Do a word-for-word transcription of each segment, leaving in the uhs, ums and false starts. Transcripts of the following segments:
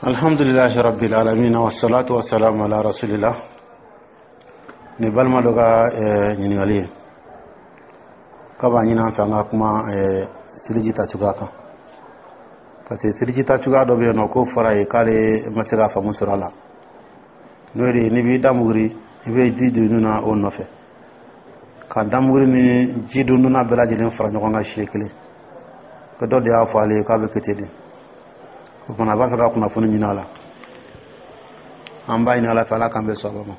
Alhamdulilahi rabbil alamin, wassalatu wassalamu ala rasulillah. Ni balima dɔ ka ɲininkali ye k'a b'a ɲini an fɛ an ka kuma seliji ta cogoya kan, parce que seliji ta cogoya dɔ bɛ yen nɔ k'o fɔra ye k'ale ma se ka faamu sɔrɔ a la. N'o de ye, n'i b'i da muguri, i bɛ ji don nun na o nɔfɛ, ka damuguri ni ji don nun na bɛɛ lajɛlen fara ɲɔgɔn kan siɲɛ kelen. Ko dɔ de y'a fɔ ale ye k'a bɛ kɛ ten de. O fana, a b'a fɛ ka kunnafoni ɲini a la. An b'a ɲini Ala fɛ, Ala k'an bɛ sɔn ma.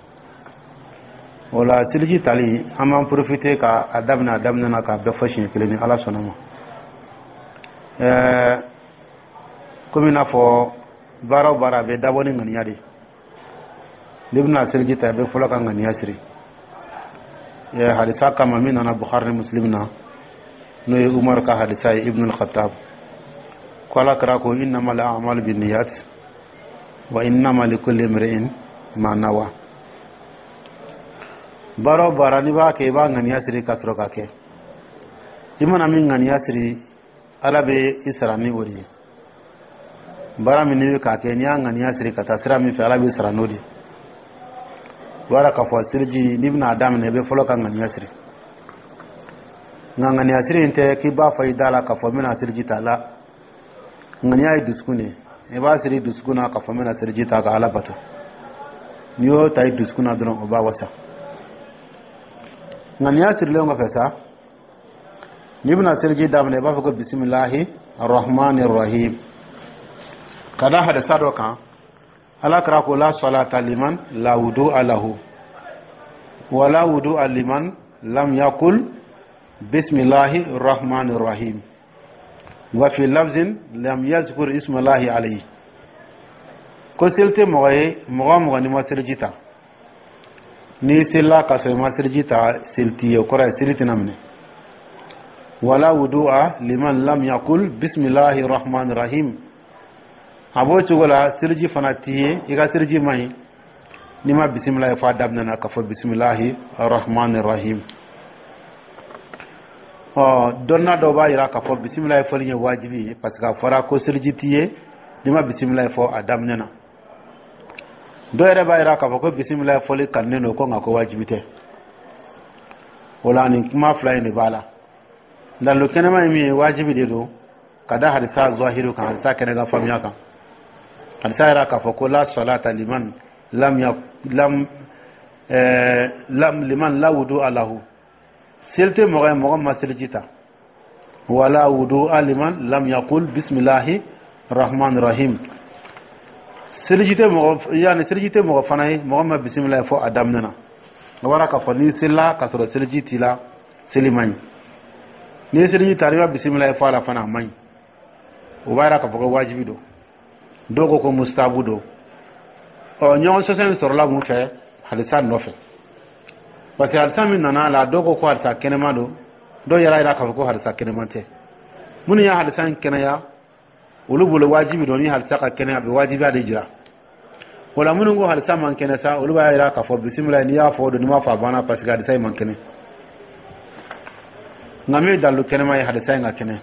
O la, seliji tali, an b'an profiter ka a daminɛ a daminɛ na k'a bɛɛ fɔ siɲɛ kelen ni Ala sɔnna ma. ɛɛ komi i n'a fɔ baara o baara, a bɛ dabɔ ni ŋaniya de. N'i bɛna seliji ta, i bɛ fɔlɔ ka ŋaniya siri. Hadisa kama min nana Bukhari ni Muslim na, n'o ye Umar ka hadisa ye, Ibn al-Khattab, ko Ala kira ko: "Innama al-a'malu binniyat wa innama likulli imri'in ma nawa." Baara o baara, n'i b'a kɛ, i b'a ŋaniya siri ka sɔrɔ ka kɛ. I mana min ŋaniya siri, Ala bɛ i sara ni o de ye. Baara min n'i bɛ k'a kɛ, n'i y'a ŋaniya siri ka taa sira min fɛ, Ala b'i sara n'o de ye. O b'a k'a fɔ seliji, n'i bɛna a daminɛ, i bɛ fɔlɔ ka ŋaniya siri. Nka ŋaniya siri in tɛ k'i b'a fɔ i da la k'a fɔ n bɛna seliji ta la. Ŋaniya ye dusukun de ye. I b'a siri dusukun na k'a fɔ n bɛna seliji ta ka Ala bato. N'i y'o ta i dusukun na dɔrɔn, o b'a wasa. Ŋaniya sirilen kɔfɛ sa, n'i bɛna seliji daminɛ, i b'a fɔ ko bisimilahi arrahmani rahim, ka da hadisa dɔ kan. Ala kira ko: "La salata liman la wudu'a lahu wala wudu'a liman lam yakul bismillahi rahmani rahim, wa fi lafzin lam yazkur ismallahi alayhi." Ko seli tɛ mɔgɔ ye, mɔgɔ o mɔgɔ n'i ma seliji ta. N'i selila ka sɔrɔ i ma seliji ta, seli t'i ye, o kɔrɔ ye seli tɛna minɛ. Wala wudu'a liman lam yakul bismillahi rahmani rahim, a b'o cogo la, seliji fana t'i ye, i ka seliji man ɲi n'i ma bisimilahi fɔ a daminɛ na, k'a fɔ bisimilahi rahmani rahim. Ɔ, dɔnna dɔw b'a jira k'a fɔ bisimilahi fɔli ye wajibi ye, parce que a fɔra ko seliji t'i ye n'i ma bisimilahi fɔ a daminɛ na. Dɔw yɛrɛ b'a jira k'a fɔ ko bisimilahi fɔli kanunen don, ko nka ko wajibi tɛ. O la, nin kuma fila in de b'a la. Dalilu kɛnɛma ye min ye, wajibi de don, ka da hadisa zahiru kan, hadisa kɛnɛ ka faamuya kan. Hadisa yɛrɛ k'a fɔ ko la salata liman lam ya lam ɛɛ lam liman la wudu lahu, seli tɛ mɔgɔ ye, mɔgɔ ma seliji ta. Wala wudu liman lam yakul bisimilahi rahman rahim, seliji tɛ mɔgɔ, yanni seliji tɛ mɔgɔ fana ye, mɔgɔ ma bisimilahi fɔ a daminɛ na. O bɔra k'a fɔ n'i selila k'a sɔrɔ seliji t'i la, seli man ɲi. N'i ye seliji ta, n'i ma bisimilahi fɔ a la fana, a man ɲi. O b'a yira k'a fɔ ko wajibi don. Dɔw ko ko mustahabu don. Ɔ, ɲɔgɔn sɔsɔ in sɔrɔla mun fɛ? Hadisa nɔfɛ, parce que hadisa min nana a la, dɔw ko ko hadisa kɛnɛma don, dɔw yɛrɛ yira k'a fɔ ko hadisa kɛnɛma tɛ. Minnu ye hadisa in kɛnɛya, olu bolo wajibi don. Ni hadisa ka kɛnɛ, a bɛ wajibiya de jira o la. Minnu ko hadisa man kɛnɛ sa, olu b'a yira k'a fɔ bisimila, n'i y'a fɔ o don, n'i m'a fɔ, a banna, parce que hadisa in man kɛnɛ. Nka min ye dalilu kɛnɛma ye, hadisa in ka kɛnɛ.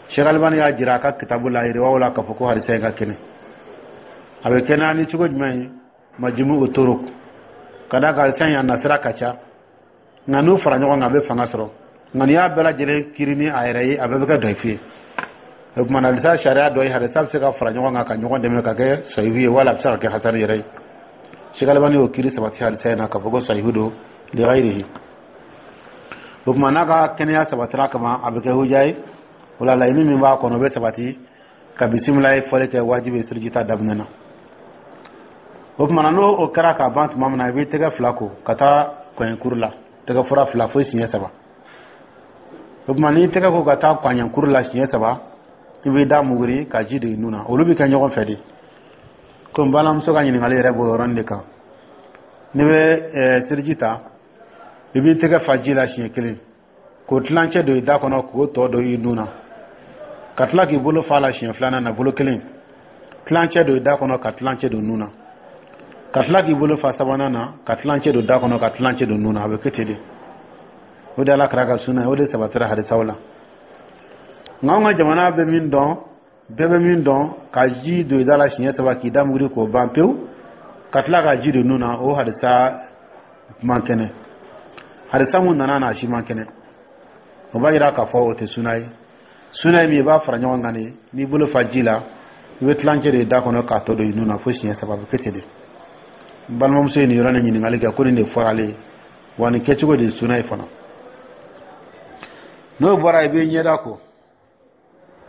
Cheikh Albani y'a jira a ka kitabu la yiriwaw la k'a fɔ ko hadisa in ka kɛnɛ. A bɛ kɛnɛya ni cogo jumɛn ye? Majumu o torok, ka d'a kan hadisa in a nasira ka ca, nka n'u fara ɲɔgɔn kan, a bɛ fanga sɔrɔ. Nka n'i y'a bɛɛ lajɛlen kiri ni a yɛrɛ ye, a bɛɛ bɛ kɛ dayifu ye. O tuma na, hadisa sariya dɔ ye, hadisa bɛ se ka fara ɲɔgɔn kan ka ɲɔgɔn dɛmɛ ka kɛ sahihu ye, wala a bɛ se ka kɛ hasani yɛrɛ ye. Cheikh Albani y'o kiri sabati hadisa in na k'a fɔ ko sahihu don li ghayrihi. O tuma, n'a ka kɛnɛya sabatira kama, a bɛ kɛ huja ye. O la, laɲini min b'a kɔnɔ, o bɛ sabati ka bisimilahi fɔli kɛ wajibi ye seliji ta daminɛ na. O tuma na, n'o o kɛra k'a ban tuma min na, i b'i tɛgɛ fila ko ka taa kɔɲɛkuru la, tɛgɛ fura fila fo siɲɛ saba. O tuma, n'i tɛgɛ ko ka taa kɔɲɛkuru la siɲɛ saba, i b'i da muguri ka ji don i nun na. Olu bɛ kɛ ɲɔgɔn fɛ de. Komi balimamuso ka ɲininkali yɛrɛ b'o yɔrɔnin de kan, n'i bɛ seliji ta, i b'i tɛgɛ fa ji la siɲɛ kelen, k'o tilancɛ don i da kɔnɔ, k'o tɔ don i nun na, ka tila k'i bolo fa la siɲɛ filanan na, bolo kelen tilancɛ don i da kɔnɔ, ka tilancɛ don nun na, ka tila k'i bolo fa sabanan na, ka tilancɛ don da kɔnɔ, ka tilancɛ don nun na. A bɛ kɛ ten de. O de Ala kira ka sunna ye, o de sabatira hadisaw la. Nka anw ka jamana bɛ min dɔn, Bɛɛ bɛ min dɔn, ka ji don i da la siɲɛ saba k'i da muguri k'o ban pewu, ka tila ka ji don nun na, o hadisa man kɛnɛ. Hadisa mun nana n'a si man kɛnɛ, o b'a yira k'a fɔ o tɛ suna ye. Suna ye min ye, i b'a fara ɲɔgɔn kan de. N'i bolo fa ji la, i bɛ tilancɛ de da kɔnɔ k'a tɔ don i nun na fo siɲɛ saba. A bɛ kɛ ten de. N balimamuso ye nin yɔrɔ nin ɲininkali kɛ ko nin de fɔra ale ye wa, nin kɛcogo de ye suna ye fana. N'o bɔra, i bɛ ɲɛda ko.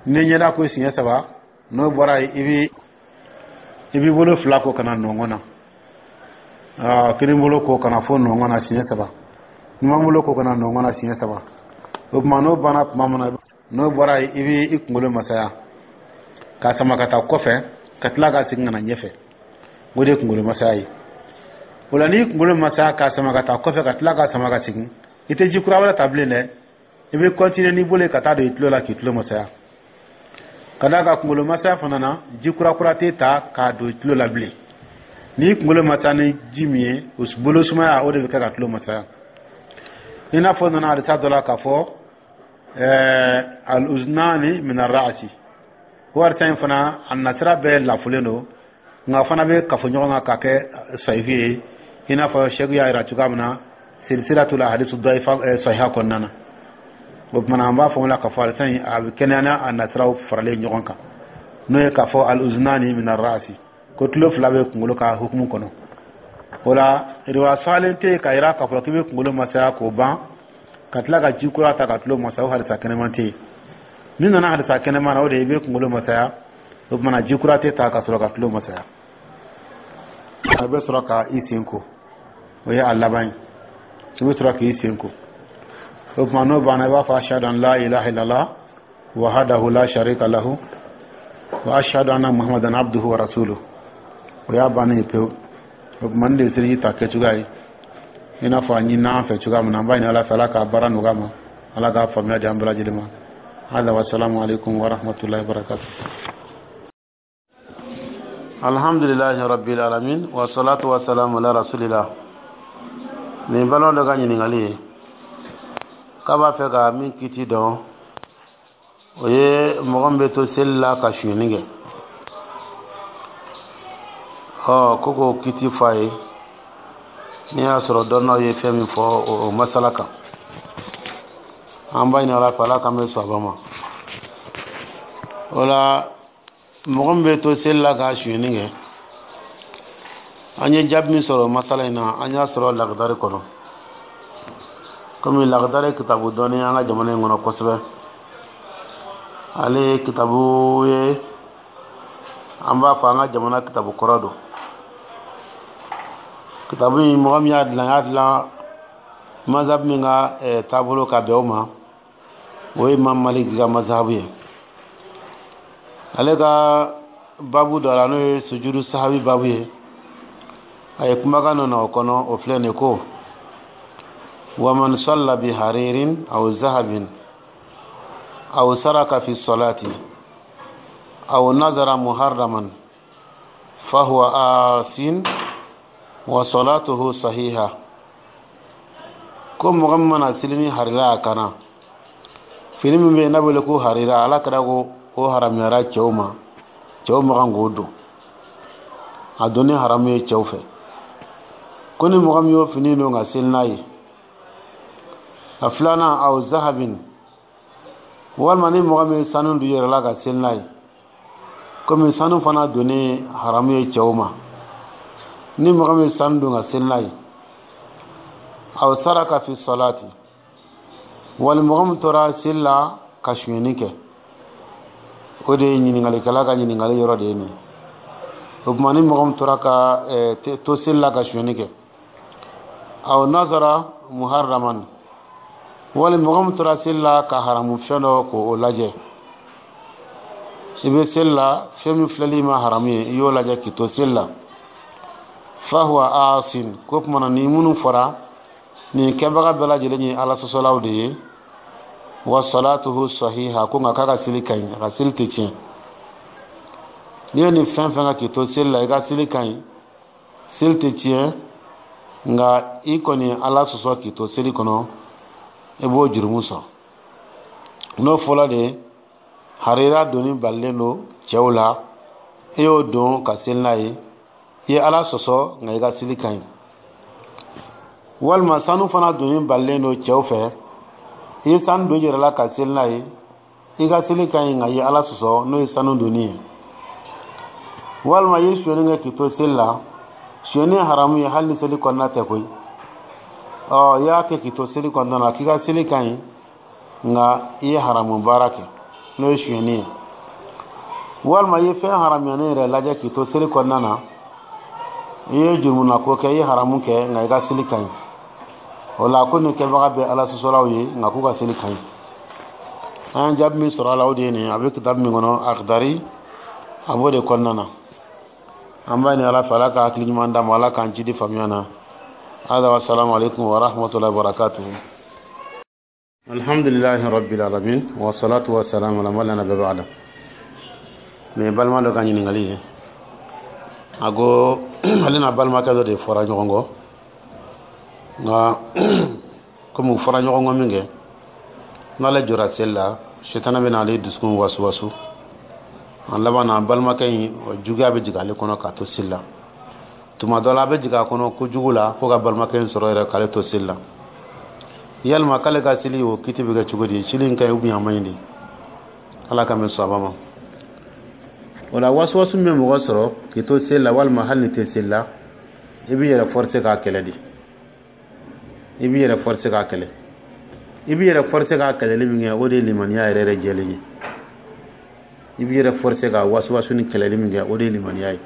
N'i ye ɲɛda ko siɲɛ saba, n'o bɔra yen, i bɛ i b'i bolo fila ko ka na nɔngɔn na, kini bolo ko ka na fo nɔngɔn na siɲɛ saba, numan bolo ko ka na nɔngɔn na siɲɛ saba. O tuma, n'o banna tuma min na, n'o bɔra yen, i bɛ i kunkolo masaya k'a sama ka taa kɔfɛ, ka tila ka segin ka na ɲɛfɛ. O de ye kunkolo masaya ye. O la, n'i kunkolo masaya k'a sama ka taa kɔfɛ, ka tila ka sama ka segin, i tɛ ji kura wɛrɛ ta bilen dɛ. I bɛ continuer n'i bolo ye ka taa don i tulo la k'i tulo masaya. Ka d'a kan kunkolo masaya fana na, ji kura kura tɛ ta k'a don i tulo la bilen. N'i kunkolo masaya ni ji min ye, o bolo sumaya, o de bɛ kɛ ka tulo masaya. I n'a fɔ nana hadisa dɔ la k'a fɔ ɛɛ al-uznani min ar-ra'si. O hadisa in fana, a nasira bɛɛ lafulen don, nka fana bɛ kafo ɲɔgɔn kan k'a kɛ sahihu ye, i n'a fɔ sɛku y'a jira cogoya min na silsilatul hadisu daifa sahiha kɔnɔna na. O tuma na, an b'a fɔ o la k'a fɔ hadisa in a bɛ kɛnɛya n'a nasiraw faralen ɲɔgɔn kan, n'o ye k'a fɔ al-uznani min ar-ra'si, ko tulo fila bɛ kunkolo ka hukumu kɔnɔ. O la, riwaya salen tɛ yen k'a jira k'a fɔ k'i bɛ kunkolo masaya k'o ban, ka tila ka ji kura ta ka tulo masaya. O hadisa kɛnɛman tɛ yen. Min nana hadisa kɛnɛman na, o de ye i bɛ kunkolo masaya, o tuma na ji kura tɛ ta ka sɔrɔ ka tulo masaya. A bɛ sɔrɔ ka i sen ko, o ye a laban ye. I bɛ sɔrɔ k'i sen ko. O tuma, n'o banna, i b'a fɔ ashhadu an la ilaha illallah wahdahu la sharika lahu wa ashhadu anna muhammadan abduhu wa rasuluhu. O y'a bannen ye pewu. O tuma, nin de ye seliji ta kɛcogoya ye, i n'a fɔ a ɲinina an fɛ cogoya min na. An b'a ɲini Ala fɛ, Ala k'a baara nɔgɔya ma, Ala k'a faamuya di an bɛɛ lajɛlen ma. Hada wa salamu alaikum wa rahmatullahi wa barakatuh. Alhamdulillahi rabbil alamin, wa salatu wa salamu ala rasulillah. Nin balima dɔ ka ɲininkali ye k'a b'a fɛ ka min kiti dɔn, o ye mɔgɔ min bɛ to seli la ka sonyɛni kɛ. Ɔ ko k'o kiti fɔ a ye, n'i y'a sɔrɔ dɔnnaw ye fɛn min fɔ o masala kan. An b'a ɲini Ala fɛ, Ala k'an bɛ sɔn ma. O la, mɔgɔ min bɛ to seli la ka sonyɛni kɛ, an ye jaabi min sɔrɔ masala in na, an y'a sɔrɔ Lakidari kɔnɔ. Komi Lakidari kitabu dɔnni an ka jamana in kɔnɔ kosɛbɛ, ale ye kitabu ye, an b'a fɔ an ka jamana kitabu kɔrɔ don. Kitabu in, mɔgɔ min y'a dilan, y'a dilan mazhabu min ka taabolo ka bɛn o ma, o ye Imam Maliki ka mazhabu ye. Ale ka babu dɔ la, n'o ye sujudu sahabi babu ye, a ye kumakan dɔ na o kɔnɔ, o filɛ nin ko: waman salla bi haririn aw zahabin aw saraka fi salati aw nazara muharraman fahuwa asin wa salatuhu sahiha. Ko mɔgɔ min mana seli ni harira a kana fini min bɛ yen n'a wele ko harira, Ala kɛra ko o haramuyara cɛw ma, cɛw ma kan k'o don, a donni haramu ye cɛw fɛ. Ko ni mɔgɔ min y'o fini don ka seli n'a ye, a filanan, aw zahabin, walima ni mɔgɔ min ye sanu don yɛrɛ la ka seli n'a ye, komi sanu fana donni haramu ye cɛw ma, ni mɔgɔ min ye sanu don ka seli n'a ye, aw saraka fi salati, wali mɔgɔ min tora seli la ka sonyɛni kɛ. O de ye ɲininkalikɛla ka ɲininkali yɔrɔ de ye nin. O tuma, ni mɔgɔ min tora ka to seli la ka sonyɛni kɛ, aw nazara muharraman, wali mɔgɔ min tora seli la ka haramu fɛn dɔ k'o lajɛ. I bɛ seli la, fɛn min filɛli ma haramu ye, i y'o lajɛ k'i to seli la, fahuwa asin. Ko tuma na, ni minnu fɔra, nin kɛbaga bɛɛ lajɛlen ye Ala sɔsɔlaw de ye. Wa salatuhu sahiha, ko nka k'a ka seli ka ɲi, a ka seli tɛ tiɲɛ. N'i ye nin fɛn fɛn kan k'i to seli la, i ka seli ka ɲi, seli tɛ tiɲɛ, nka i kɔni Ala sɔsɔ k'i to seli kɔnɔ, i b'o jurumu sɔrɔ. N'o fɔla de, Harira donni balilen don cɛw la, e y'o don ka seli n'a ye, i ye Ala sɔsɔ, nka i ka seli ka ɲi. Walima sanu fana donni balilen don cɛw fɛ, i ye sanu don i yɛrɛ la ka seli n'a ye, i ka seli ka ɲi, nka i ye Ala sɔsɔ, n'o ye sanu donni ye. Walima i ye sonyɛni kɛ k'i to seli la. Sonyɛni ye haramu ye hali ni seli kɔnɔna tɛ koyi. Ɔ, i y'a kɛ k'i to seli kɔnɔna na, k'i ka seli ka ɲi, nka i ye haramu baara kɛ, n'o ye sonyɛni ye. Walima i ye fɛn haramuyanen yɛrɛ lajɛ k'i to seli kɔnɔna na, i ye jurumunako kɛ, i ye haramu kɛ, nka i ka seli ka ɲi. O la, ko nin kɛbaga bɛ Ala sɔsɔlaw ye, nka k'u ka seli ka ɲi. An ye jaabi min sɔrɔ a la, o de ye nin. A bɛ kitabu min kɔnɔ, Akidari, a b'o de kɔnɔna na. An b'a ɲini Ala fɛ, Ala ka hakili ɲuman d'an ma, Ala k'an jidi faamuya na. Hada wa salamu alaikum wa rahmatullahi wa barakatuhu. Alhamdulillahi rabbil alamin, wa salatu wa salam ala man la nabiyya ba'da. Nin ye balima dɔ ka ɲininkali ye. A ko ale n'a balimakɛ dɔ de fɔra ɲɔgɔn kɔ, nka komi u fɔra ɲɔgɔn kɔ min kɛ, n'ale jɔra seli la, sitana bɛ n'ale dusukun wasu wasu. A laban na, balimakɛ in, juguya bɛ jigin ale kɔnɔ k'a to seli la. Tuma dɔ la, a bɛ jigin a kɔnɔ kojugu la fo ka balimakɛ in sɔrɔ yɛrɛ k'ale to seli la. Yalima k'ale ka seli, o kiti bɛ kɛ cogo di? Seli in ka ɲi ou bien a man ɲi de? Ala ka mɛn sɔn ma. O la, wasuwasu min bɛ mɔgɔ sɔrɔ k'i to seli la, walima hali ni tɛ seli la, i b'i yɛrɛ forcer k'a kɛlɛ de. I b'i yɛrɛ forcer k'a kɛlɛ. I b'i yɛrɛ forcer k'a kɛlɛli min kɛ, o de ye limaniya yɛrɛ yɛrɛ jɛlen ye. I b'i yɛrɛ forcer ka wasuwasu ni kɛlɛli min kɛ, o de ye limaniya ye.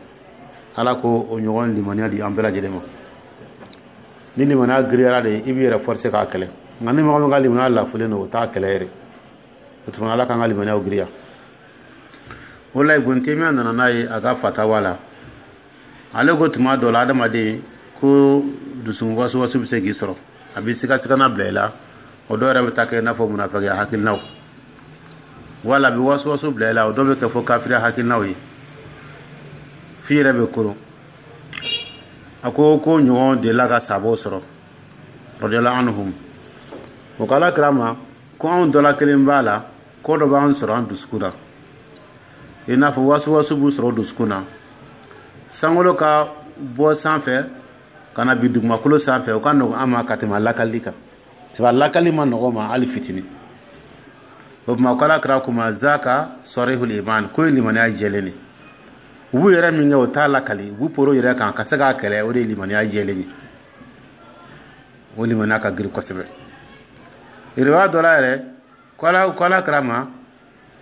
Ala ko o ɲɔgɔn limaniya di an bɛɛ lajɛlen ma. Ni limaniya giriyara de, i b'i yɛrɛ forcer k'a kɛlɛ. Nka ni mɔgɔ min ka limaniya lafulen don, o t'a kɛlɛ yɛrɛ. O tuma, Ala k'an ka limaniyaw giriya. O la, Ibn Taymiya nana n'a ye a ka fatawa la. Ale ko tuma dɔ la, adamaden ko dusukun wasuwasu bɛ se k'i sɔrɔ, a bɛ sigasigana bila i la. O dɔw yɛrɛ bɛ taa kɛ i n'a fɔ munafigiya hakilinaw, wala a bɛ wasuwasu bila i la, o dɔw bɛ kɛ fo kafiriya hakilinaw ye, f'i yɛrɛ bɛ koron. A ko ko ɲɔgɔn delila ka sabaw sɔrɔ, radiyallahu anhum. O ko Ala kira ma ko anw dɔ la kelen b'a la, ko dɔ b'an sɔrɔ an dusukun na, i n'a fɔ wasuwasu b'u sɔrɔ dusukun na, sankolo ka bɔ sanfɛ ka na bi dugumakolo sanfɛ, o ka nɔgɔn an ma ka tɛmɛ lakali kan, sabu lakali ma nɔgɔn ma hali fitinin. O tuma, ko Ala kira ko ma zaka sarihul iman, ko ye limaniya jɛlen de. U b'u yɛrɛ min kɛ, o t'a lakali, u b'u poro yɛrɛ kan ka se k'a kɛlɛ, o de ye limaniya jɛlen ye. O limaniya ka girin kosɛbɛ. Riwaya dɔ la yɛrɛ, ko ala ko Ala kira ma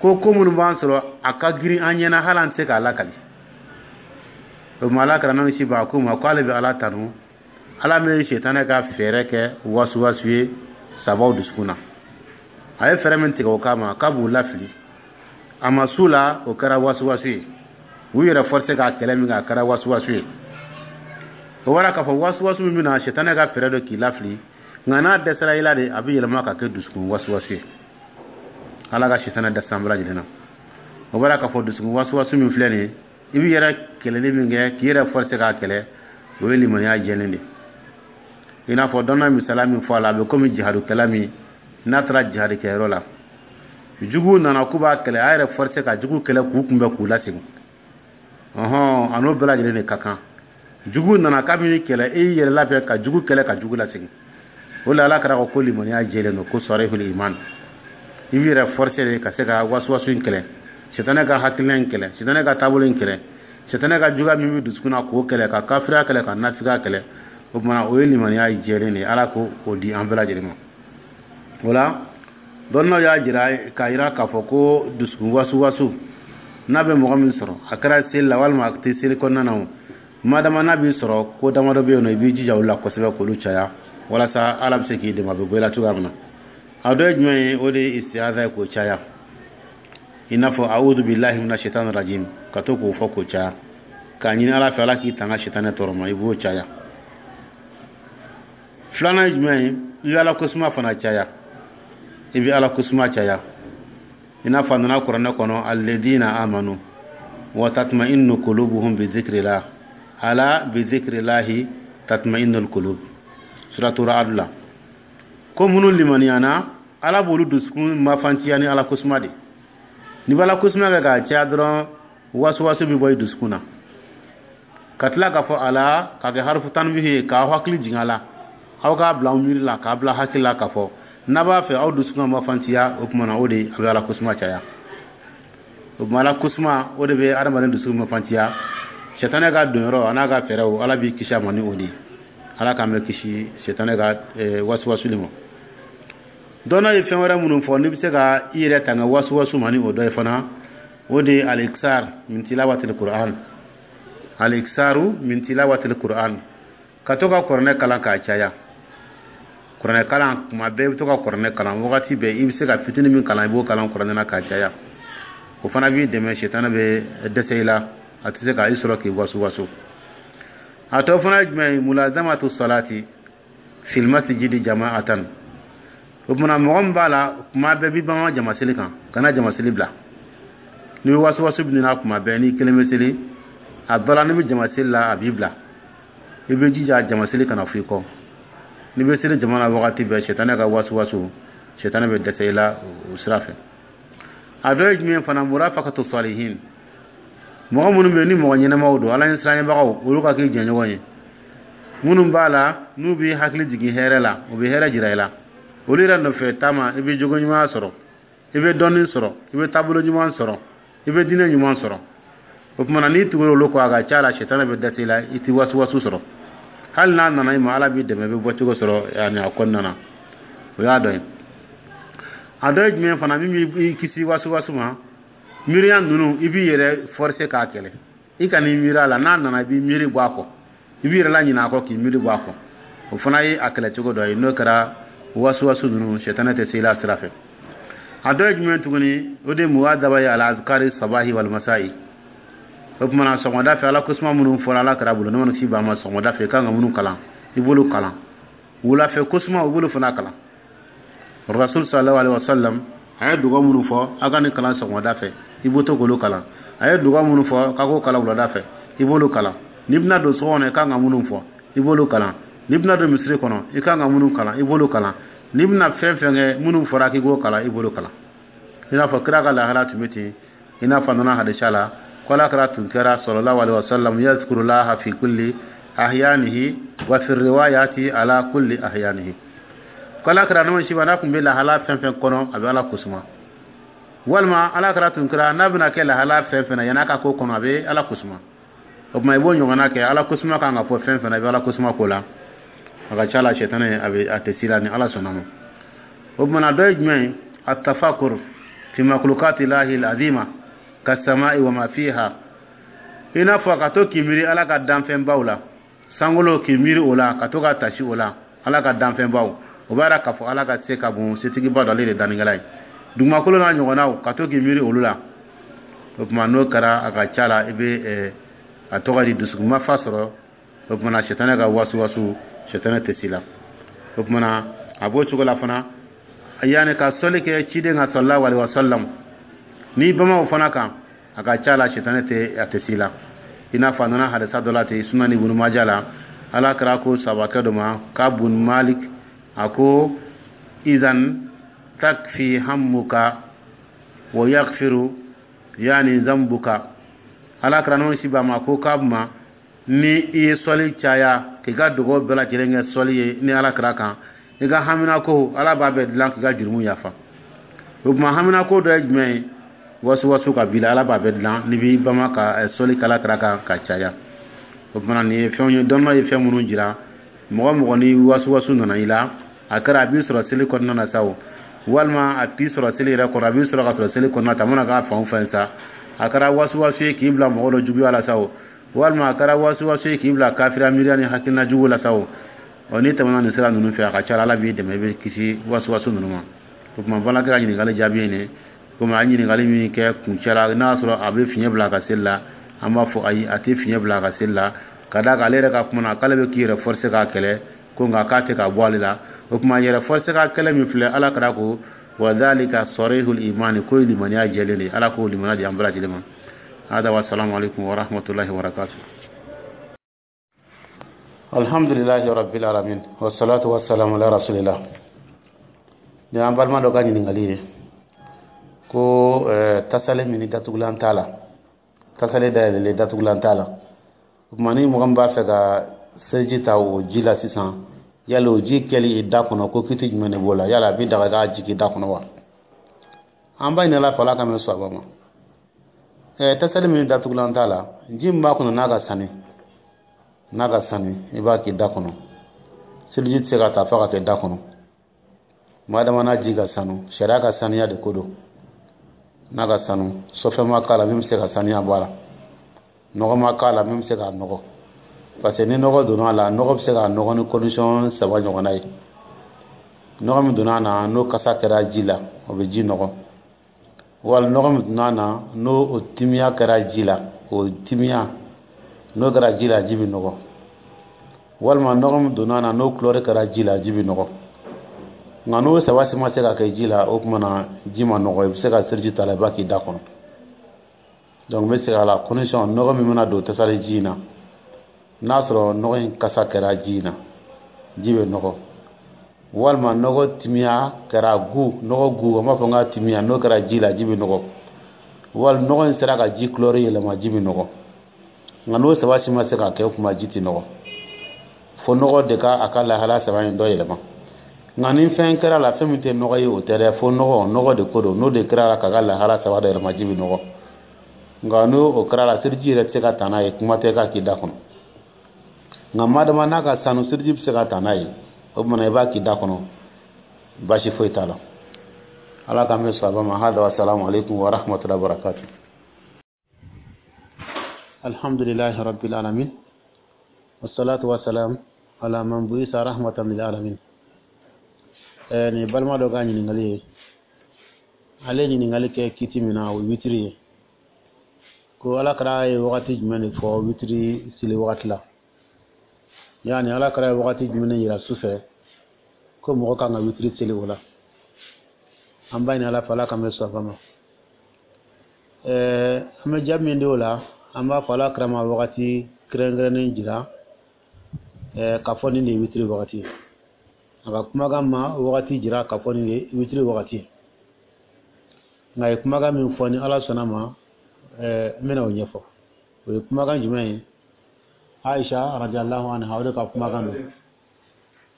ko ko minnu b'an sɔrɔ, a ka girin an ɲɛna hali an tɛ se k'a lakali. O tuma, Ala kira n'an si ba ko ma ko ale bɛ Ala tanu, Ala min ye sitanɛ ka fɛɛrɛ kɛ wasuwasu ye sabaw dusukun na. A ye fɛɛrɛ min tigɛ o kama k'a b'u lafili, a ma s'u la, o kɛra wasuwasu ye. U yɛrɛ forcer k'a kɛlɛ min kɛ, a kɛra wasuwasu ye. O bɔra k'a fɔ wasuwasu min bɛna, sitanɛ ka fɛɛrɛ dɔ k'i lafili, nka n'a dɛsɛra i la de, a bɛ yɛlɛma ka kɛ dusukun wasuwasu ye. Ala ka sitanɛ dɛsɛ an bɛɛ lajɛlen na. O bɔra k'a fɔ dusukun wasuwasu min filɛ nin ye, i b'i yɛrɛ kɛlɛli min kɛ, k'i yɛrɛ forcer k'a kɛlɛ, o ye limaniya jɛlen de. I n'a fɔ dɔnna misaliya min fɔ a la, a bɛ komi jihadukɛla min n'a taara jihadikɛyɔrɔ la, juguw nana k'u b'a kɛlɛ, a yɛrɛ forcer ka jugu kɛlɛ k'u kunbɛn k'u lasegin. Ɔhɔn, a n'o bɛɛ lajɛlen de ka kan. Jugu nana k'a b'i kɛlɛ, e y'i yɛrɛ labɛn ka jugu kɛlɛ ka jugu lasegin. O la, Ala kɛra ko ko limaniya jɛlen don, ko sarihul iman. I b'i yɛrɛ forcer de ka se ka wasuwasu in kɛlɛ, sitanɛ ka hakilina in kɛlɛ, sitanɛ ka taabolo in kɛlɛ, sitanɛ ka juguya min bɛ dusukun na k'o kɛlɛ, ka kafiriya kɛlɛ, ka nafigiya kɛlɛ. O tuma, o ye limaniya jɛlen de ye. Ala ko o di an bɛɛ lajɛlen ma. O la, dɔnniyaw y'a jira k'a jira k'a fɔ ko dusukun wasuwasu n'a bɛ mɔgɔ min sɔrɔ, a kɛra seli la walima a tɛ seli kɔnɔna na, o madama n'a b'i sɔrɔ, ko damadɔ bɛ yen nɔ, i b'i jija olu la kosɛbɛ k'olu caya, walasa Ala bɛ se k'i dɛmɛ, a bɛ bɔ i la cogoya min na. A dɔ ye jumɛn ye? O de ye istiaza ye, k'o caya, i n'a fɔ a'udhu billahi mina shaitani rajim, ka to k'o fɔ k'o caya, k'a ɲini Ala fɛ, Ala k'i tanga sitanɛ tɔɔrɔ ma, i b'o caya. Filanan ye jumɛn ye? I bɛ Ala kosuma fana caya. I bɛ Ala kosuma caya, i n'a fɔ a nana kuranɛ kɔnɔ: alladina amanu wa tatma'innu qulubuhum bi dhikrillah, ala bi dhikrillahi tatma'innul qulub, suratu Ra'd la. Ko minnu limaniyana, Ala b'olu dusukun mafantiya ni Ala kosuma de. N'i b'Ala kosuma kɛ k'a caya dɔrɔn, wasuwasu bɛ bɔ i dusukun na. Ka tila k'a fɔ ala k'a kɛ harifu tanbihi ye, k'aw hakili jigin a la, aw k'a bila aw miiri la, k'a bila hakili la k'a fɔ n'a b'a fɛ aw dusukun ma fantiya. O tuma na, o de a bɛ Ala kosuma caya. O tuma, Ala kosuma, o de bɛ adamaden dusukun ma fantiya. Sɛtanɛ ka donyɔrɔ a n'a ka fɛɛrɛw, Ala b'i kisi a ma ni o de ye. Ala k'an bɛ kisi sɛtanɛ ka wasuwasuli ma. Dɔnna ye fɛn wɛrɛ minnu fɔ n'i bɛ se ka i yɛrɛ tanga wasuwasu ma ni o dɔ ye fana, o de ye الإكثار من تلاوة القرآن، الإكثار من تلاوة القرآن, ka to ka kuranɛ kalan k'a caya. Kuranɛ kalan kuma bɛɛ, i bɛ to ka kuranɛ kalan wagati bɛɛ. I bɛ se ka fitinin min kalan, i b'o kalan kuranɛ na k'a caya. O fana b'i dɛmɛ, sɛtanɛ bɛ dɛsɛ i la, a tɛ se ka i sɔrɔ k'i wasu wasu. A tɔ fana ye jumɛn ye? ملازمة الصلاة في المسجد جماعة. O kumana, mɔgɔ min b'a la kuma bɛɛ b'i bama jama seli kan, kana jama seli bila. N'i bɛ wasu wasu bɛ na kuma bɛɛ, n'i kelen bɛ seli, a dɔ la n'i bɛ jama seli la, a b'i bila. I bɛ jija jama seli kana fɔ i kɔ. N'i bɛ seli jama na wagati bɛɛ, sɛtanɛ ka wasu wasu, sɛtanɛ bɛ dɛsɛ i la o sira fɛ. A dɔ ye jumɛn fana? مرافقة الصالحين. Mɔgɔ minnu bɛ yen ni mɔgɔ ɲɛnɛmaw don, Ala ɲɛsiranɲɛbagaw, olu ka k'i jɛɲɔgɔn ye. Minnu b'a la n'u b'i hakili jigin hɛrɛ la, u bɛ hɛrɛ jira i la, olu yɛrɛ nɔfɛ taama, i bɛ jogo ɲuman sɔrɔ, i bɛ dɔnni sɔrɔ, i bɛ taabolo ɲuman sɔrɔ, i bɛ diinɛ ɲuman sɔrɔ. O tuma na, n'i tugura olu kɔ, a ka ca la sɛtanɛ bɛ dɛsɛ i la, i tɛ wasuwasu sɔrɔ. Hali n'a nana i ma, Ala b'i dɛmɛ, i bɛ bɔcogo sɔrɔ yani a kɔnɔna na. O y'a dɔ ye. A dɔ ye jumɛn fana min b'i kisi wasuwasu ma? Miiriya ninnu, i b'i yɛrɛ forcer k'a kɛlɛ. I ka n'i miiri a la, n'a nana, i b'i miiri bɔ a kɔ, i b'i yɛrɛ laɲinɛ a kɔ k'i miiri bɔ a kɔ. O fana ye a kɛlɛcogo dɔ ye. N'o kɛra, wasuwasu ninnu, sɛtanɛ tɛ se i la sira fɛ. A dɔ ye jumɛn tuguni? O de ye مواظبة على أذكار الصباح والمساء. O tuma na, sɔgɔmada fɛ, Ala kosuma minnu fɔra Ala kɛra bolo, ne mana kisi ba ma, sɔgɔmada fɛ i kan ka minnu kalan, i b'olu kalan. Wulafɛ kosuma, u b'olu fana kalan. Rasul صلى الله عليه وسلم a ye dugawu minnu fɔ a ka nin kalan sɔgɔmada fɛ, i b'o to k'olu kalan. A ye dugawu minnu fɔ k'a k'o kalan wulada fɛ, i b'olu kalan. N'i bɛna don so kɔnɔ, i kan ka minnu fɔ, i b'olu kalan. N'i bɛna don misiri kɔnɔ, i kan ka minnu kalan, i b'olu kalan. N'i bɛna fɛn fɛn kɛ, minnu fɔra k'i k'o kalan, i b'olu kalan. I n'a fɔ kira ka lahala tun bɛ ten, i n'a fɔ a nana hadisa la ko Ala kɛra tun kɛra صلى الله عليه وسلم يذكر الله في كل أحيانه، وفي رواية على كل أحيانه. Ko Ala kɛra n'o siba n'a tun bɛ lahala fɛn fɛn kɔnɔ, a bɛ Ala kosuma. Walima Ala kɛra tun kɛra n'a bɛna kɛ lahala fɛn fɛn na, yan'a ka ko kɔnɔ, a bɛ Ala kosuma. O tuma, i b'o ɲɔgɔnna kɛ. Ala kosuma kan ka fɔ fɛn fɛn na, i bɛ Ala kosuma ko la. A ka ca la, sɛtanɛ a bɛ a tɛ s'i la ni Ala sɔnna ma. O tuma na, dɔ ye jumɛn ye? التفكر في مخلوقات الله العظيمة كالسماء وما فيها. I n'a fɔ ka to k'i miiri Ala ka danfɛnbaw la, sankolo, k'i miiri o la, ka to ka tasi o la, Ala ka danfɛnbaw, o b'a yira k'a fɔ Ala ka se ka bon, setigiba dɔ, ale de dannikɛla ye. Dugumakolo n'a ɲɔgɔnnaw, ka to k'i miiri olu la. O tuma, n'o kɛra, a ka ca la i bɛ a tɔgɔ di dusukunmafa sɔrɔ. O tuma na, sɛtanɛ ka wasu wasu, sɛtanɛ tɛ s'i la. O tuma na, a b'o cogo la fana, yanni ka sɔli kɛ ciden ka صلى الله عليه وسلم, n'i bama o fana kan, a ka ca la sɛtanɛ tɛ a tɛ s'i la. I n'a fɔ a nana hadisa dɔ la ten, Sunan Ibunu Maja la, Ala kɛra ko sabakɛ dɔ ma, k'a bun Malik, a ko: إذا تكفي همك ويغفر يعني ذنبك. Ala kɛra n'o si ba ma ko k'a ma, ni i ye sɔli caya, k'i ka dugawu bɛɛ lajɛlen kɛ sɔli ye ni Ala kɛra kan, i ka haminako, Ala b'a bɛɛ dilan k'i ka jurumu yafa. O tuma, haminako dɔ ye jumɛn ye? Wasu wasu ka b'i la, Ala b'a bɛɛ dilan n'i b'i bama ka sɔli kala kɛra kan ka caya. O tuma, nin ye fɛnw ye, dɔnniya ye fɛn minnu jira. Mɔgɔ mɔgɔ ni wasu wasu nana i la, a kɛra a b'i sɔrɔ seli kɔnɔna na sa o, walima a t'i sɔrɔ seli yɛrɛ kɔrɔ, a b'i sɔrɔ ka sɔrɔ seli kɔnɔna ta, a mana k'a fan o fan sa, a kɛra wasu wasu ye k'i bila mɔgɔ dɔ juguya la sa o, walima a kɛra wasu wasu ye k'i bila kafiriya miiriya ni hakilina jugu la sa o, ɔ n'i tɛmɛna nin sira ninnu fɛ, a ka ca Ala b'i dɛmɛ, i bɛ kisi wasu wasu ninnu ma. O tuma, balimakɛ ka ɲininkali jaabi ye nin. Komi a ye ɲininkali min kɛ kuncɛ la, n'a y'a sɔrɔ a bɛ fiɲɛ bila a ka seli la, an b'a fɔ ayi, a tɛ fiɲɛ bila a ka seli la, ka d'a kan ale yɛrɛ ka kuma na, k'ale bɛ k'i yɛrɛ forcer k'a kɛlɛ ko, nka k'a tɛ ka bɔ ale la. O tuma, yɛrɛ forcer ka kɛlɛ min filɛ, Ala kɛra ko وذلك صريح الإيمان, ko ye limaniya jɛlen de. Ala k'o limaniya di an bɛɛ lajɛlen ma. هذا والسلام عليكم ورحمة الله وبركاته. الحمد لله رب العالمين والصلاة والسلام على رسول الله. Ni an balima dɔ ka ɲininkali ye ko Ko eh, tasale min ni datugulan t'a la, tasale dayɛlɛlen, datugulan t'a la. O tuma, ni mɔgɔ min b'a fɛ ka seliji ta o ji la sisan, yali o ji kɛli i da kɔnɔ, ko kiti jumɛn de b'o la? Yala a bɛ daga k'a jigin i da kɔnɔ wa? An b'a ɲini Ala fɛ, Ala ka mɛn sɔrɔ ma. Ɛɛ, tasali min datugulan t'a la, ji min b'a kɔnɔ, n'a ka sani n'a ka sani i b'a k'i da kɔnɔ. Seliji tɛ se ka ta fo ka kɛ da kɔnɔ. Madama n'a ji ka sanu, sariya ka saniya de ko don. N'a ka sanu, sɔfɛn ma k'a la min bɛ se ka saniya bɔ a la, nɔgɔ ma k'a la min bɛ se k'a nɔgɔ, parce que ni nɔgɔ donna a la, nɔgɔ bɛ se k'a nɔgɔ ni condition saba ɲɔgɔnna ye. Nɔgɔ min donna a na, n'o kasa kɛra ji la, o bɛ ji nɔgɔ. Wali nɔgɔ min donna a na, n'o o timiya kɛra ji la, o timiya n'o kɛra ji la, ji bɛ nɔgɔ. Walima nɔgɔ min donna a na, n'o couleur kɛra ji la, ji bɛ nɔgɔ. Nka n'o saba si ma se ka kɛ ji la, o tuma na ji ma nɔgɔ, i bɛ se ka seliji ta la, i b'a k'i da kɔnɔ. Donc n bɛ segin a la: condition, nɔgɔ min bɛna don tasali ji in na, n'a sɔrɔ nɔgɔ in kasa kɛra ji in na, ji bɛ nɔgɔ. Walima nɔgɔ timiya kɛra gu, nɔgɔ gu, an b'a fɔ n ka timiya, n'o kɛra ji la, ji bɛ nɔgɔ. Wali nɔgɔ in sera ka ji couleur yɛlɛma, ji bɛ nɔgɔ. Nka n'o saba si ma se ka kɛ, o tuma ji tɛ nɔgɔ, fo nɔgɔ de ka a ka lahala saba in dɔ yɛlɛma. Nka ni fɛn kɛra la, fɛn min tɛ nɔgɔ ye, o tɛ dɛ, fo nɔgɔ, nɔgɔ de ko don. N'o de kɛra la k'a ka lahala saba dɔ yɛlɛma, ji bɛ nɔgɔ. Nka n'o o kɛra la, seliji yɛrɛ tɛ se ka ta n'a ye, kuma tɛ k'a k'i da kɔnɔ. Nka madama n'a ka sanu, seliji bɛ se ka ta n'a ye, o tuma i b'a k'i da kɔnɔ, baasi foyi t'a la. Ala k'an bɛ sɔrɔ ma. Hada wa salamu alaikum wa rahmatullahi wa barakatuh. Alhamdulillahi rabbil alamin, wassalatu wassalam ala man buisa rahmatan lil alamin. eh ni balima dɔ ka ɲininkali ye, ale ye ɲininkali kɛ kiti min na, o ye witiri ye. Ko Ala kɛra ye wagati jumɛn de fɔ witiri seli wagati la? Yani Ala kɛra ye wagati jumɛn de yira su fɛ ko mɔgɔ kan ka witiri seli o la? An b'a ɲini Ala fɛ, Ala k'an bɛ sɔn ma. ɛɛ an bɛ jaabi min di o la, an b'a fɔ Ala kɛra ma wagati kɛrɛnkɛrɛnnen jira ɛɛ k'a fɔ nin de ye witiri wagati ye. A ka kumakan ma wagati jira k'a fɔ nin de ye witiri wagati ye, nka a ye kumakan min fɔ, ni Ala sɔnna ma, ɛɛ n bɛna o ɲɛfɔ. O ye kumakan jumɛn ye? Aisha radiyallahu anha, o de ka kumakan don.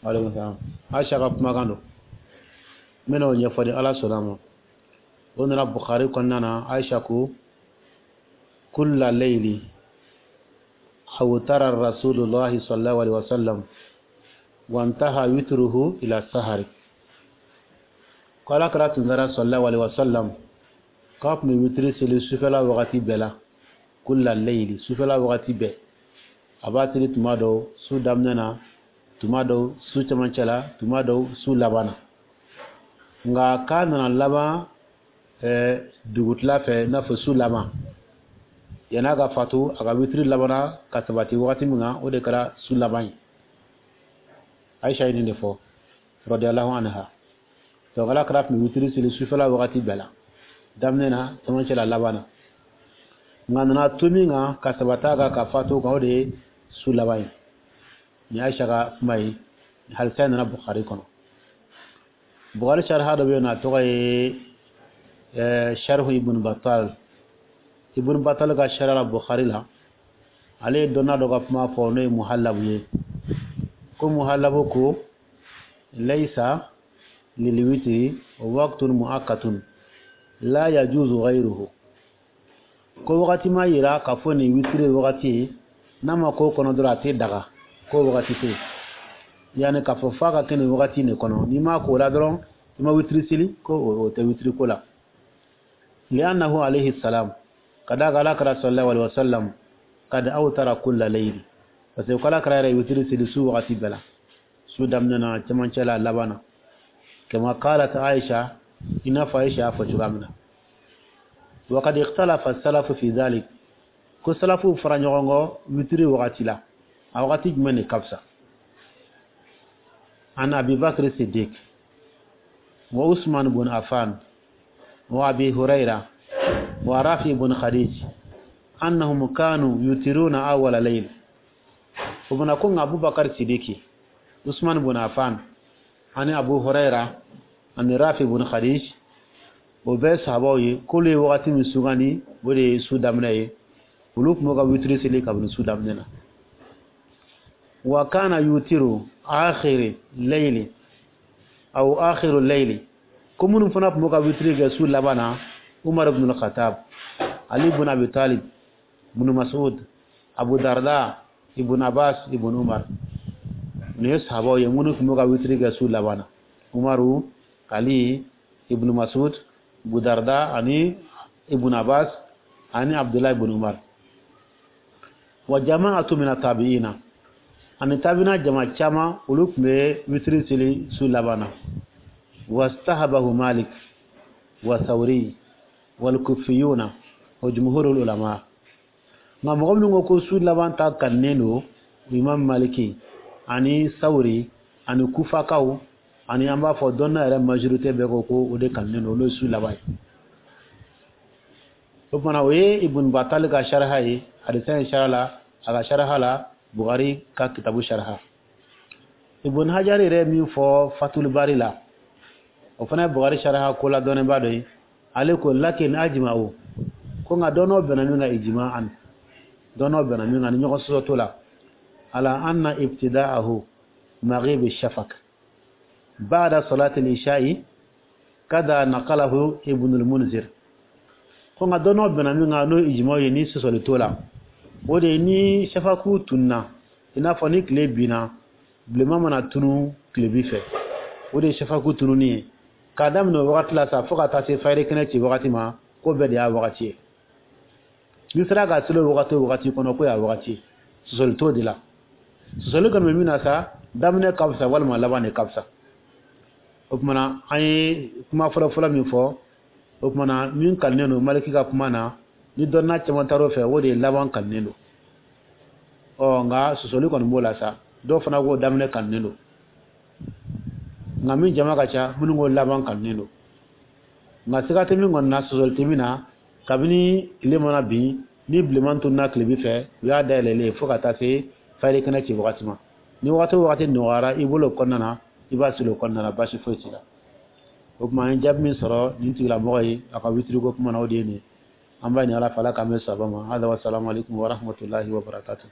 Aleykum salam. Aisha ka kumakan don, n bɛna o ɲɛfɔ ni Ala sɔnna ma. O nana Bukhari kɔnɔna na. Aisha ko: kulla layli awtara rasulullahi sallallahu alaihi wasallam wantaha witruhu ila sahari. Ko Ala kɛra tun kɛra sallallahu alaihi wasallam k'a tun bɛ witiri seli sufɛla wagati bɛɛ la. Kulla layli, sufɛla wagati bɛɛ a b'a seli, tuma dɔw su daminɛ na, tuma dɔw su cɛmancɛ la, tuma dɔw su laban na. Nka k'a nana laban ɛɛ dugutila fɛ, i n'a fɔ su laban yann'a ka fatu, a ka witiri labanna ka sabati wagati min kan, o de kɛra su laban ye. Aisha ye nin de fɔ radiyallahu anha. Donc Ala kɛra tun bɛ witiri seli sufɛla wagati bɛɛ la, daminɛ na, cɛmancɛ la, laban na. Nka nana to min kan ka sabata kan ka fatu kan, o de ye su laban ye. Nin Aisha ka kuma ye, hadisa nana Bukhari kɔnɔ. Bukhari sharha dɔ bɛ yen nɔ, a tɔgɔ ye Sharhu Ibn Battal. Ibn Battal ka sharha la Bukhari la, ale ye dɔnna dɔ ka kuma fɔ, n'o ye Muhallabu ye. Ko Muhallabu ko: laysa lilwitri waqtun muakkatun la yajuzu ghayruhu. Ko wagati ma yira k'a fɔ nin witiri wagati ye, n'a ma k'o kɔnɔ dɔrɔn, a tɛ daga. Ko wagati tɛ yen, yanni k'a fɔ f'a ka kɛ nin wagati de kɔnɔ, n'i ma k'o la dɔrɔn, i ma witiri seli, ko o tɛ witiri ko la. Li'annahu alayhi salam, ka d'a kan Ala kɛra sallallahu alaihi wasallam kad awtara kulla layli, parce que k'Ala kɛra yɛrɛ witiri seli su wagati bɛɛ la, su daminɛ na, cɛmancɛ la, laban na. Kama qalat Aisha, i n'a fɔ Aisha y'a fɔ cogoya min na. Wa kad ikhtalafa salafu fi dhalik, ko salafu fara ɲɔgɔn kɔ witiri wagati la, a wagati jumɛn de ka fisa. An Abi Bakr Siddiq wa Usman bun Affan wa Abi Huraira wa Rafi bun Khadij annahum kanu yutiruna awwala layl. O bana ko nka Abubakar Sidiki, Usman bun Affan ani Abu Huraira ani Rafi bun Khadij, O bɛɛ sahabaw ye, k'olu ye wagati min sugandi, o de ye su daminɛ ye. Olu tun b'u ka witiri seli kabini su daminɛ na. Wa kana yutiru akhiri layli aw akhiru layli, ko minnu fana tun b'u ka witiri kɛ su laban na, Umar ibn al-Khattab, Ali ibn Abi Talib, ibn Mas'ud, Abu Darda, Ibn Abbas, Ibn Umar. Nin ye sahabaw ye minnu tun b'u ka witiri kɛ su laban na: Umaru, Ali, Ibn Mas'ud, Abu Darda ani Ibn Abbas ani Abdullah ibn Umar. Wa jama'atu min tabi'ina, ani tabi'ina jama caman, olu tun bɛ witiri seli su laban na. Wastahabahu Malik wa Thawri wal Kufiyuna wa jumhurul ulama. Nka mɔgɔ minnu ko ko su laban ta kanunen don, Imam Maliki ani Sawuri ani Kufakaw ani an b'a fɔ dɔnna yɛrɛ majorité bɛɛ ko ko o de kanunen don, olu ye su laban ye. O kumana, o ye Ibn Batal ka sharha ye hadisa in sharha la, a ka sharha la Bukhari ka kitabu sharha. Ibn Hajar yɛrɛ min fɔ Fatul Bari la, o fana ye Bukhari sharha ko la dɔnnibaa dɔ ye. Ale ko lakin ajma'u, ko nka dɔnnaw bɛnna min kan, ijma'an, dɔnnaw bɛnna min kan ni ɲɔgɔn sɔsɔ t'o la, ala anna ibtida'ahu maghib shafaq ba'da salati al-isha'i kada naqalahu Ibn al-Munzir. Ko nka dɔnnaw bɛnna min kan, n'o ijma'u ye, ni sɔsɔli t'o la, o de ye ni shafaku tunna, i n'a fɔ ni tile binna, bilenman mana tunu tilebi fɛ, o de ye shafaku tununi ye. K'a daminɛ o wagati la sa fo ka taa se fayiri kɛnɛ ci wagati ma, ko bɛɛ de y'a wagati ye. N'i sera ka seli o wagati o wagati kɔnɔ, ko y'a wagati ye, sɔsɔli t'o de la. Sɔsɔli kɔni bɛ min na sa, daminɛ ka fisa walima laban de ka fisa. O kumana, an ye kuma fɔlɔ-fɔlɔ min fɔ, o kumana, min kanunen don Maliki ka kuma na, ni dɔnna caman taar'o fɛ, o de ye laban kanunen don. Ɔ nka sɔsɔli kɔni b'o la sa. Dɔw fana ko daminɛ kanunen don, nka min jama ka ca, minnu ko laban kanunen don. Nka siga tɛ min kɔni na, sɔsɔli tɛ min na, kabini tile mana bin, ni bilenman tununa tilebi fɛ, u y'a dayɛlɛlen fo ka taa se fayiri kɛnɛ ci wagati ma. Ni wagati o wagati nɔgɔyara i bolo o kɔnɔna na, i b'a seli o kɔnɔna na, baasi foyi t'i la. O tuma, an ye jaabi min sɔrɔ nin tigilamɔgɔ ye a ka witiriko kuma na, o de ye nin ye. An b'a ɲini Ala fɛ, Ala k'an bɛn sababa ma. Hada wa salamu alaikum wa rahmatullahi wa barakatuh.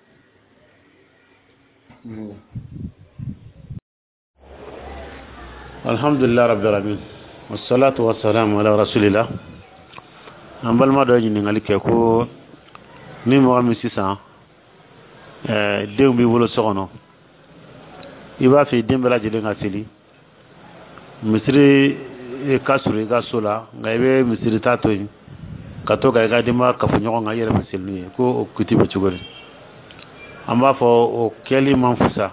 Alhamdulillah rabbil alamin, wassalatu wassalamu ala rasulillah. An balima dɔ ye ɲininkali kɛ ko ni mɔgɔ min sisan ɛɛ denw b'i bolo so kɔnɔ, i b'a fɛ i den bɛɛ lajɛlen ka seli misiri ka surun i ka so la, nka i bɛ misiri ta to yen ka to ka i ka denbaya kafo ɲɔgɔn kan, i yɛrɛ bɛ seli n'u ye, ko o kiti bɛ cogo di? An b'a fɔ o kɛli man fusa.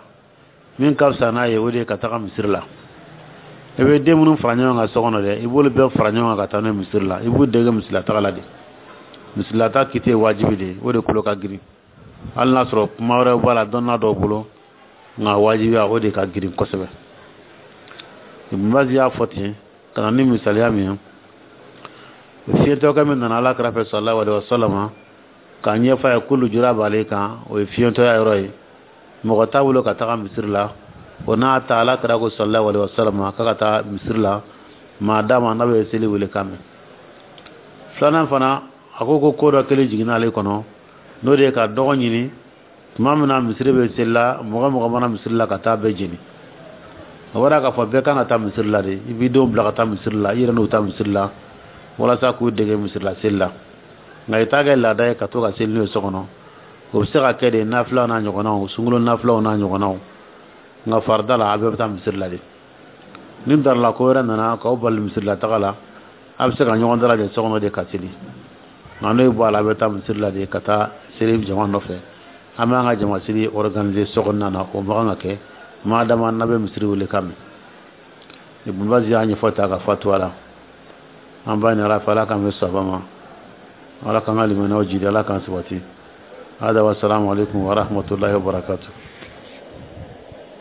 Min ka fisa n'a ye, o de ye ka taga misiri la. I bɛ den minnu fara ɲɔgɔn kan so kɔnɔ dɛ, i b'olu bɛɛ fara ɲɔgɔn kan ka taa n'u ye misiri la. I b'u dege misirila taga la de. Misirila ta kiti ye wajibi de ye, o de kolo ka girin, hali n'a sɔrɔ kuma wɛrɛw b'a la dɔnna dɔw bolo, nka wajibiya o de ka girin kosɛbɛ. Ibn Baz y'a fɔ ten ka na ni misaliya min ye, fiyentɔkɛ min nana Ala kira fɛ sallallahu alaihi wasallam k'a ɲɛfɔ a ye ko lujura b'ale kan, o ye fiyentɔya yɔrɔ ye, mɔgɔ t'a bolo ka taga misiri la. O n'a ta, Ala kira ko sallallahu alaihi wasallam k'a ka taa misiri la maa d'a ma n'a bɛ seli wele kan mɛn. Filanan fana, a ko ko ko dɔ kelen jiginna ale kɔnɔ, n'o de ye ka dɔgɔ ɲini tuma min na misiri bɛ seli la, mɔgɔ mɔgɔ mana misiri la ka taa bɛɛ jeni. O bɔra k'a fɔ bɛɛ kan ka taa misiri la de. I b'i denw bila ka taa misiri la, i yɛrɛ n'u taa misiri la walasa k'u dege misiri la seli la. Nka i t'a kɛ laada ye ka to ka seli n'u ye so kɔnɔ. O bɛ se ka kɛ de nafilaw n'a ɲɔgɔnnaw, sunkalo nafilaw n'a ɲɔgɔnnaw, nka farida la, a bɛɛ bɛ taa misiri la de. Ni darila ko wɛrɛ nana k'aw bali misiri la taga la, a bɛ se ka ɲɔgɔn dalajɛ so kɔnɔ de ka seli. Nka n'o bɔ a la, a bɛ taa misiri la de ka taa seli jama nɔfɛ. An b'an ka jama seli organiser so kɔnɔna na, o man kan ka kɛ maa dama n'a bɛ misiri wele kan mɛn. Ibn Baz y'a ɲɛfɔ ta ka fatuwa la. An b'a ɲini Ala fɛ, Ala k'an bɛ saba ma, Ala k'an ka limaniyaw jidi, Ala k'an sabati. Hada wa salamu alaikum wa rahmatullahi wa barakatuh.